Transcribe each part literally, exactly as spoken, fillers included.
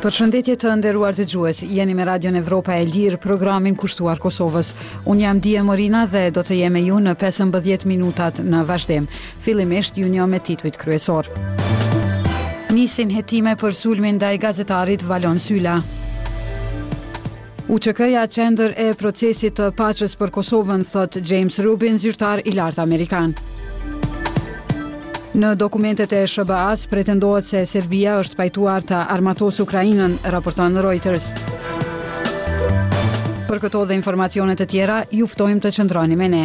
Përshëndetje të nderuar dëgjues, jeni me Radion Evropa e Lirë, programin kushtuar Kosovës. Unë jam Dije Morina dhe do të jem me ju në pesëmbëdhjetë minutat në vazhdim. Fillimisht ju njoh me titujt kryesor. Nisin hetime për sulmin ndaj gazetarit Valon Syla. U Ç K-ja qendër e procesit të paqes për Kosovën, thot James Rubin, zyrtar i lartë amerikan. Në dokumentet e S H B A-s pretendohet se Serbia është pajtuar të armatos Ukrajinën, raporton Reuters. Për këto dhe informacionet e tjera, ju ftojmë të qëndroni me ne.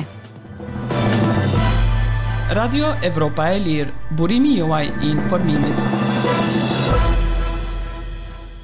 Radio Evropa e Lirë, burimi juaj i informimit.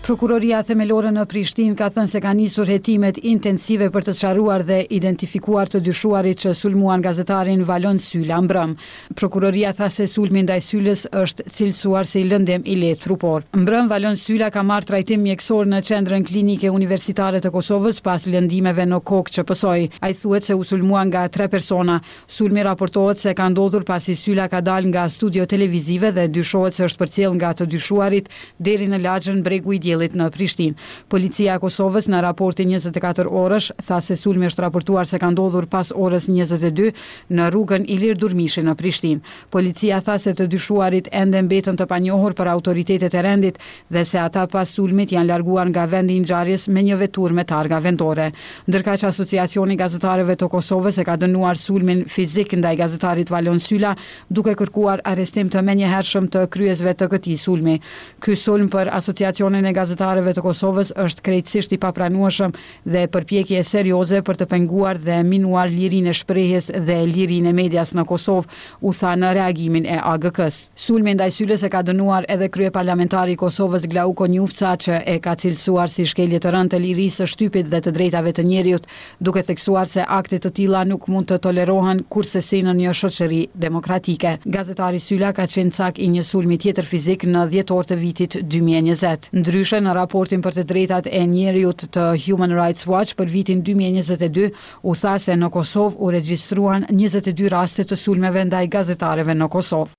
Prokuroria Themelore në Prishtinë ka thënë se ka nisur hetimet intensive për të sqaruar dhe identifikuar të dyshuarit që sulmuan gazetarin Valon Syla mbrëm. Prokuroria tha se sulmi ndaj Sylës është cilësuar si lëndim i lehtë trupor. Mbrëm Valon Syla ka marrë trajtim mjekësor në Qendrën Klinike Universitare të Kosovës pas lëndimeve në kokë që pësoi. Ai thuhet se u sulmua nga tre persona. Sulmi raportohet se ka ndodhur pasi Syla ka dalë nga studio televizive dhe dyshohet se është përcjell nga të dyshuarit deri në lagjen Bregu i Diellit në Prishtinë. Policia e Kosovës në raportin njëzet e katër orësh tha se sulmi është raportuar se ka ndodhur pas orës njëzet e dy në rrugën Ilir Durmishi në Prishtinë. Policia tha se të dyshuarit ende mbetën të panjohur për autoritetet e rendit dhe se ata pas sulmit janë larguar nga vendi i ngjarjes me një veturë me targa vendore. Ndërkaq, Asociacioni i Gazetarëve të Kosovës e ka dënuar sulmin fizik ndaj gazetarit Valon Syla, duke kërkuar arrestim të menjëhershëm të kryesve të këtij sulmi. Ky sulm për Asociacionin e Gazetarëve të Kosovës është krejtësisht i papranueshëm dhe përpjekje serioze për të penguar dhe minuar lirinë e shprehjes dhe lirinë e medias në Kosovë, u tha në reagimin e A G K-s. Sulmin ndaj Sylës e ka dënuar edhe kryeparlamentari i Kosovës, Glauk Konjufca, që e ka cilësuar si shkelje të rëndë të lirisë së shtypit dhe të drejtave të njeriut, duke theksuar se akte të tilla nuk mund të tolerohen kursesi në një shoqëri demokratike. Gazetari Syla ka qenë cak i një sulmi tjetër fizik në dhjetor të vitit dy mijë e njëzet. Ndryshe, në raportin për të drejtat e njeriut të Human Rights Watch për vitin dy mijë e njëzet e dy u tha se në Kosovë u regjistruan njëzet e dy raste të sulmeve ndaj gazetarëve në Kosovë.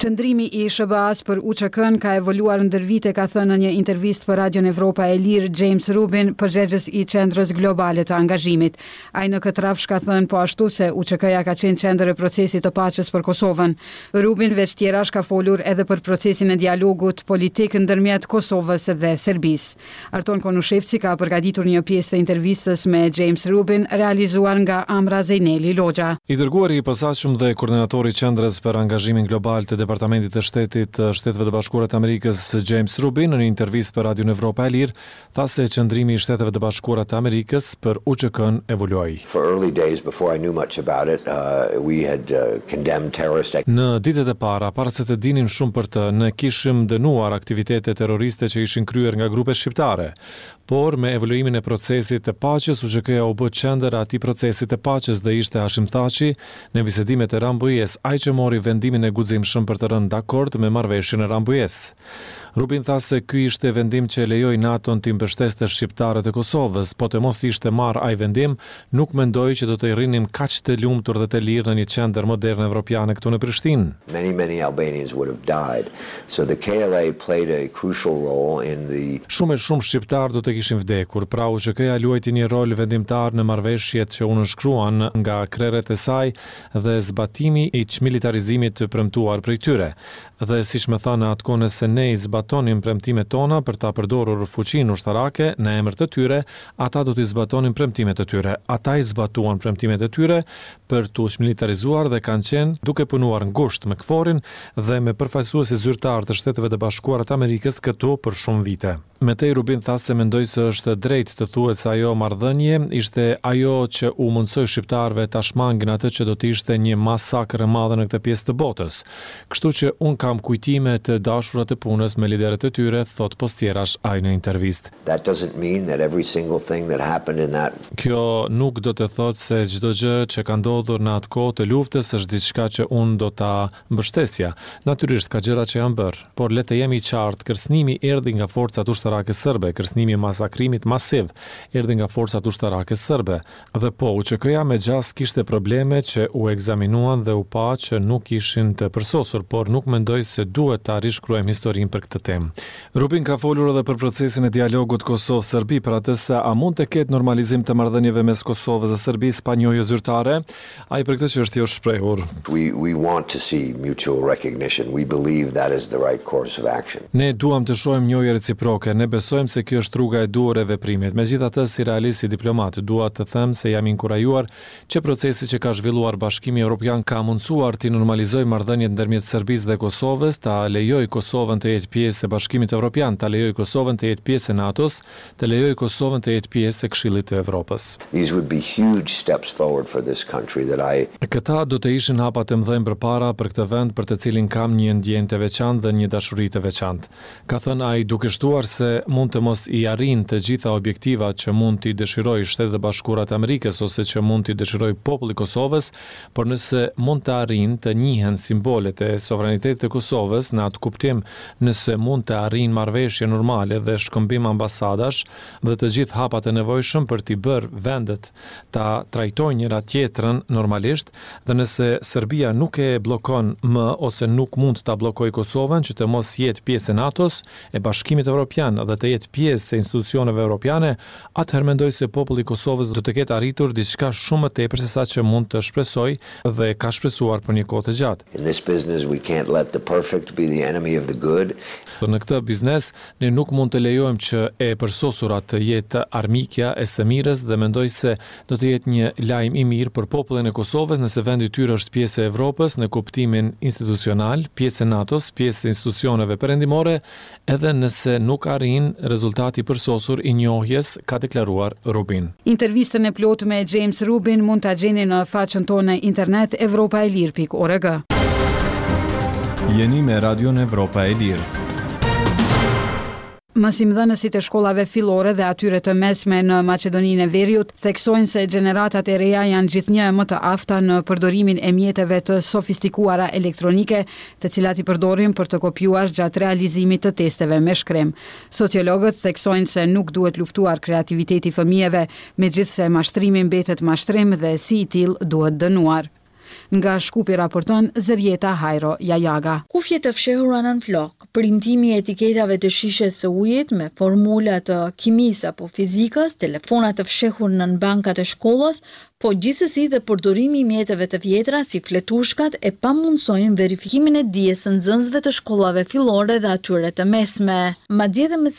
Qëndrimi i S H B A-s për U Ç K-n ka evoluar ndër vite, ka thënë në një intervistë për Radion Evropa e Lirë James Rubin, përgjegjës i Qendrës Globale të Angazhimit. Ai në këtë rrafsh ka thënë po ashtu se U Ç K-ja ka qenë qendër e procesit të paqes për Kosovën. Rubin veç tjerash ka folur edhe për procesin e dialogut politik ndërmjet Kosovës dhe Serbisë. Arton Konushevci ka përgatitur një pjesë të intervistës me James Rubin, realizuar nga Amra Zeyneli Loxha. I dërguari i posaçëm dhe koordinatori i Qendrës për Angazhimin Global të Departamentit të Shtetit të Shteteve të Bashkuara të Amerikës, James Rubin, në një intervistë për Radion Evropa e Lirë, tha se qëndrimi i Shteteve të Bashkuara të Amerikës për U Ç K-n evoluoi. For early days before I knew much about it, uh, we had uh, condemned terrorist Në ditët e para, para se të dinim shumë për të, ne kishim dënuar aktivitete terroriste që ishin kryer nga grupe shqiptare. Por me evoluimin e procesit të paqes, U Ç K-ja u bë qendër e atij procesi të paqes dhe ishte Hashim Thaçi në bisedimet e Rambujes, ai që mori vendimin e guximshëm për të rënë dakord me marrëveshjen e Rambujes. Rubin tha se ky ishte vendim që lejoi NATO-n të mbështeste shqiptarët e Kosovës, po të mos ishte marrë ai vendim, nuk mendoj që do të rrinim kaq të lumtur dhe të lirë në një qendër moderne evropiane këtu në Prishtinë. Many, many Albanians would have died. So the K L A played a crucial role in the Shumë e shumë shqiptarë do të kishin vdekur, pra U Ç K-ja luajti një rol vendimtar në marrëveshjet që u nënshkruan nga krerët e saj dhe zbatimi i çmilitarizimit të premtuar prej tyre. Dhe siç më tha në atë kohë, nëse ne i zbatonim premtimet tona për ta përdorur fuqinë ushtarake në emër të tyre, ata do t'i zbatonin premtimet e tyre. Ata i zbatuan premtimet e tyre për t'u çmilitarizuar dhe kanë qenë duke punuar ngushtë me KFOR-in dhe me përfaqësuesit zyrtar të Shteteve të Bashkuara të Amerikës këtu për shumë vite. Me tej Rubin tha se mendoj se është drejt të thuhet se ajo marrëdhënie ishte ajo që u mundsoi shqiptarëve ta shmangin atë që do të ishte një masakër e madhe në këtë pjesë të botës. Kështu që un kam kujtime të dashura të punës me liderët e tyre, thot pos tjerash ai në intervistë. That doesn't mean that every single thing that happened in that Kjo nuk do të thotë se çdo gjë që ka ndodhur në atë kohë të luftës është diçka që unë do ta mbështesja. Natyrisht ka gjëra që janë bërë, por le të jemi qartë, kërcënimi erdhi nga forcat ushtarake ushtarake serbe, kërcënimi i masakrimit masiv erdhi nga forcat ushtarake serbe. Dhe po, U Ç K-ja me gjasë kishte probleme që u ekzaminuan dhe u pa që nuk ishin të përsosur, por nuk mendoj se duhet ta rishkruajmë historinë për këtë temë. Rubin ka folur edhe për procesin e dialogut Kosovë-Serbi, për atë se a mund të ketë normalizim të marrëdhënieve mes Kosovës dhe Serbisë pa njohje zyrtare. Ai për këtë çështje është shprehur. We, we want to see mutual recognition. We believe that is the right course of action. Ne duam të shohim njohje reciproke, ne besojmë se kjo është rruga e duhur e veprimit. Megjithatë, si realist, si diplomat, dua të them se jam inkurajuar që procesi që ka zhvilluar Bashkimi Evropian ka mundësuar të normalizojë marrëdhëniet ndërmjet Serbisë dhe Kosovës, ta lejojë Kosovën të jetë pjesë e Bashkimit Evropian, ta lejojë Kosovën të jetë pjesë e NATO-s, të lejojë Kosovën të jetë pjesë e Këshillit të Evropës. These would be huge steps forward for this country that I Këta do të ishin hapa të mëdhenj përpara për këtë vend për të cilin kam një ndjenjë të veçantë dhe një dashuri të veçantë. Ka thënë ai, duke shtuar se mund të mos i arrin të gjitha objektivat që mund t'i dëshirojë Shtetet e Bashkuara të Amerikës ose që mund t'i dëshirojë populli i Kosovës, por nëse mund të arrin të njihen simbolet e sovranitetit të Kosovës në atë kuptim, nëse mund të arrin marrëveshje normale dhe shkëmbim ambasadash dhe të gjithë hapat e nevojshëm për t'i bërë vendet ta trajtojnë njëra tjetrën normalisht dhe nëse Serbia nuk e bllokon më ose nuk mund ta bllokojë Kosovën që të mos jetë pjesë e NATO-s, e Bashkimit Evropian dhe të jetë pjesë e institucioneve evropiane, atëherë mendoj se populli i Kosovës do të ketë arritur diçka shumë më tepër se sa që mund të shpresojë dhe ka shpresuar për një kohë të gjatë. In this business, we can't let the perfect be the enemy of the good. Në këtë biznes ne nuk mund të lejojmë që e përsosura të jetë armikja e së mirës dhe mendoj se do të jetë një lajm i mirë për popullin e Kosovës nëse vendi i tyre është pjesë e Evropës në kuptimin institucional, pjesë e NATO-s, pjesë e institucioneve perëndimore, edhe nëse nuk arrin rezultati i përsosur i njohjes, ka deklaruar Rubin. Intervistën e plotë me James Rubin mund ta gjeni në faqen tonë në internet evropaelir pikë org. Jeni me Radion Evropa e Lirë. Mësimdhënësit e shkollave fillore dhe atyre të mesme në Maqedoninë e Veriut theksojnë se gjeneratat e reja janë gjithnjë më të afta në përdorimin e mjeteve të sofistikuara elektronike, të cilat i përdorin për të kopjuar gjatë realizimit të testeve me shkrim. Sociologët theksojnë se nuk duhet luftuar kreativiteti i fëmijëve, megjithëse mashtrimi mbetet mashtrim dhe si i tillë duhet dënuar. Nga Shkupi raporton Zërjeta Hajro Jajaga. Kufje të fshehura nën flok, printimi i etiketave të shishes së ujit me formula të kimisë apo fizikës, telefona të fshehur nën bankat e shkollës, po gjithsesi dhe përdorimi i mjeteve të vjetra si fletushkat e pamundësojnë verifikimin e dijes së nxënësve të shkollave fillore dhe atyre të mesme. Madje dhe